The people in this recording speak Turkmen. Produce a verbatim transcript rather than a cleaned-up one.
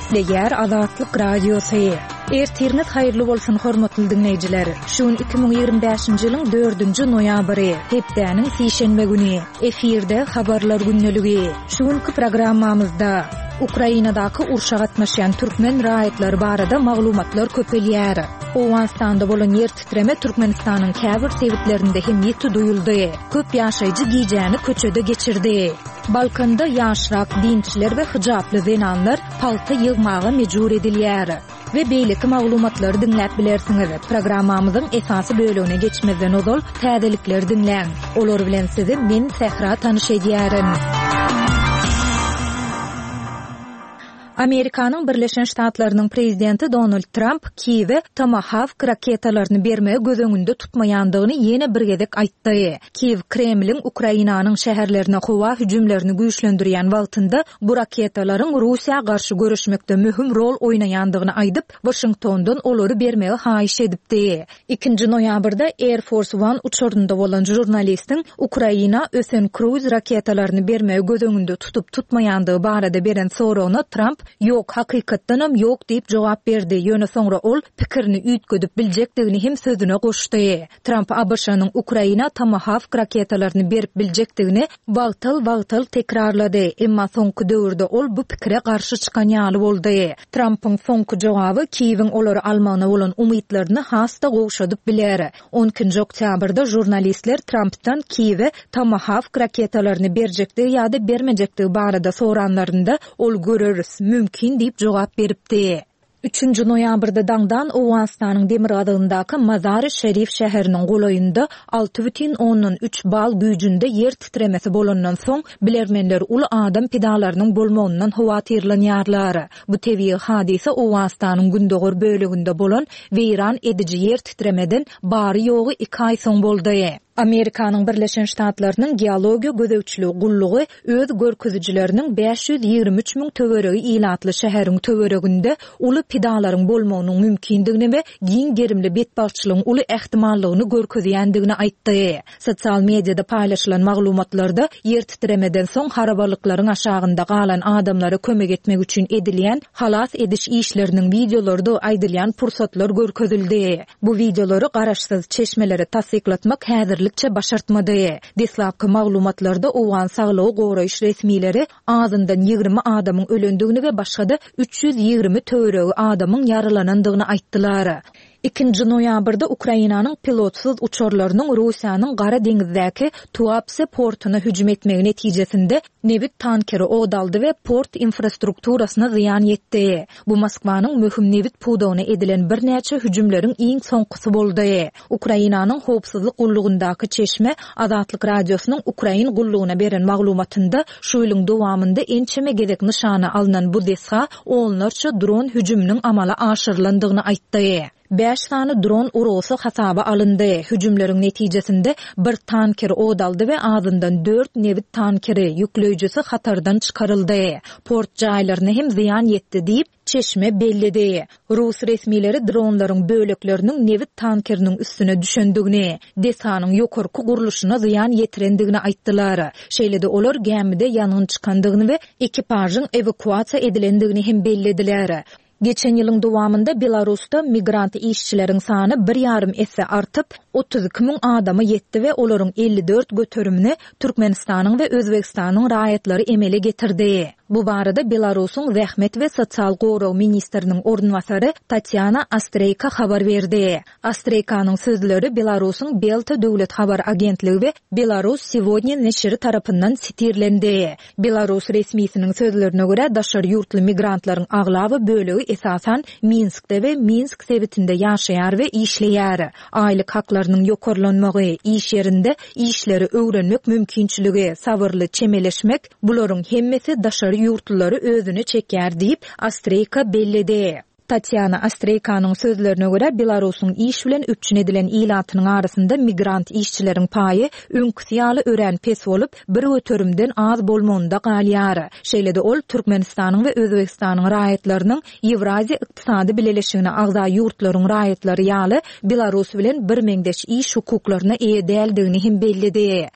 Gepleýär Azatlyk Radiosy. Ertiriňiz haýyrly bolsun, hormatly diňleýjiler. Şu gün iki müň ýigrimi bäşinji ýylyň dördünji noýabry, hepdäniň sişenbe güni. Efirde habarlar gündeligi. Şu günki programmamyzda Ukrainadaky urşa gatnaşýan türkmen raýatlary barada maglumatlar köpelýär. Owganystanda bolan ýer titreme Türkmenistanyň käbir sebitlerinde hem ýiti duýuldy. Köp ýaşaýjy gijäni köçede geçirdi. Balkanda ýaşrak dinçiler we hyjaply zenanlar pagta ýygmaga mejbur edilýär. We beýleki maglumatlary diňläp bilersiňiz. Programmamyzyň esasy bölegine geçmezden ozal täzelikleri diňläň. Olar bilen sizi men Sähra tanyş edýärin. Amerikanyň Birleşen Ştatlarynyň prezidenti Donald Tramp Kiýewe Tomahawk raketalaryny bermegi göz öňünde tutmaýandygyny ýene bir gezek aýtdy. Kiýew Kremliň Ukrainanyň şäherlerine howa hüjümlerini güýçlendirýän wagtynda bu raketalaryň Russiýa garşy göreşmekde möhüm rol oýnaýandygyny aýdyp, Waşingtondan olary bermegi haýyş edipdi. Ikinji noýabrda Air Force One uçarynda bolan žurnalistiň Ukraina ösen kruiz raketalaryny bermegi göz öňünde tutup-tutmaýandygy barada beren soragyna Tramp Ýok, hakykatdanam ýok diýip jogap berdi, ýöne soňra ol pikirini üýtgedip biljekdigini hem sözüne goşdy. Tramp ABŞ-nyň Ukraina Tomahawk raketalaryny berip biljekdigini wagtal-wagtal tekrarlady, emma soňky döwürde ol bu pikire garşy çykan ýaly boldy. Trampyň soňky jogaby Kiýewiň olary almagyna bolan umytlaryny has-da gowşadyp biler. On ikinji oktýabrda žurnalistler Trampdan Kiýewe Tomahawk raketalaryny berjekdigi ýa-da bermejekdigi barada soranlarynda, ol göreris, mümkin diýip jogap beripdi. Üçünji noýabrda daňdan Owganystanyň demirgazygyndaky Mazary-Şerif şäheriniň golaýynda alty bütin ondan üç bal güýjünde ýer titremesi bolandan soň, bilermenler uly adam pidalarynyň bolmagyndan howatyrlanýarlar. Bu tebigy hadysa Owganystanyň gündogar böleginde bolan weýran ediji ýer titremeden bary-ýogy iki aý soň boldy. Amerikanyň Birleşen Ştatlarynyň Geologiýa gözegçiligi gullugy öz görkezijileriniň bäş ýüz ýigrimi üç müň töweregi ilatly şäheriň töwereginde uly pidalaryň bolmagynyň mümkindigini we giň gerimli betbagtçylygyň uly ähtimallygyny görkezýändigini aýtdy. Sosial mediada paýlaşylan maglumatlarda ýer titremeden soň harabalyklaryň aşagynda galan adamlara kömek etmek üçin edilýän halas ediş işleriniň wideolarydygy aýdylýan pursatlar görkezildi. Bu wideolary garaşsyz çeşmelere tassyklatmak häzirlikçe başartmady. Deslapky maglumatlarda owgan saglygy goraýyş resmileri azyndan ýigrimi adamyň ölendigini we başga-da üç ýüz ýigrimi töweregi adamyň ýaralanandygyny aýtdylar. Ikinji noýabrda Ukrainanyň pilotsyz uçarlarynyň Russiýanyň Gara deňizdäki Tuapse portuna hüjüm etmegi netijesinde nebit tankeri ot aldy we port infrastrukturasyna zyýan ýetdi. Bu Moskwanyň möhüm nebit pudagyna edilen birnäçe hüjümleriň iň soňkusy boldy. Ukrainanyň howpsuzlyk gullugyndaky çeşme Azatlyk Radiosynyň ukrain gullugyna beren maglumatynda şu ýylyň dowamynda ençeme gezek nyşana alnan bu desga onlarça dron hüjüminiň amala aşyrylandygyny aýtdy. Bäş sany dron urgusy hasaba alyndy. Hüjümleriň netijesinde bir tanker ot aldy we azyndan dört nebit tankeri, ýükleýjisi hatardan çykaryldy. Port jaýlaryna hem zyýan ýetdi diýip, çeşme belledi. Rus resmileri dronlaryň bölekleriniň nebit tankeriniň üstüne düşendigini, desganyň ýokarky gurluşyna zyýan ýetirendigini aýtdylar. Şeýle-de olar gämide ýangyn çykandygyny we ekipažyň ewakuasiýa edilendigini hem bellediler. Geçen ýylyň dowamynda Belarusda migrant işçileriň sany bir ýarym esse artyp, otuz iki müň adama ýetdi we olaryň elli dört göterimini Türkmenistanyň we Özbegistanyň raýatlary emele getirdi. Bu barada Belarusyň Zähmet we sosial gorag ministriniň orunbasary Tatýana Astreýka habar berdi. Astreýkanyň sözleri Belarusyň Belta döwlet habar agentligi we Belarus Segodnýa neşiri tarapyndan sitirlendi. Belarus resmisiniň sözlerine görä, daşary ýurtly migrantlaryň aglaba bölegi esasan Minskde we Minsk sebitinde ýaşaýar we işleýär. Aýlyk haklarynyň ýokarlanmagy, iş ýerinde işleri öwrenmek mümkinçiligi, sabyrly çemeleşmek, bularyň hemmesi daşary ýurtlulary özüne çekýär diýip, Astreýka belledi. Tatýana Astreýkanyň sözlerine görä, Belarusyň iş bilen üpjün edilen ilatynyň arasynda migrant işçileriň paýy öňküsi ýaly örän pes bolup, bir göterimden az bolmagynda galýar. Şeýle-de ol Türkmenistanyň we Özbegistanyň raýatlarynyň Ýewraziýa ykdysady bileleşigine agza ýurtlaryň raýatlary ýaly Belarus bilen birmeňzeş iş hukuklaryna eýe däldigini hem belledi.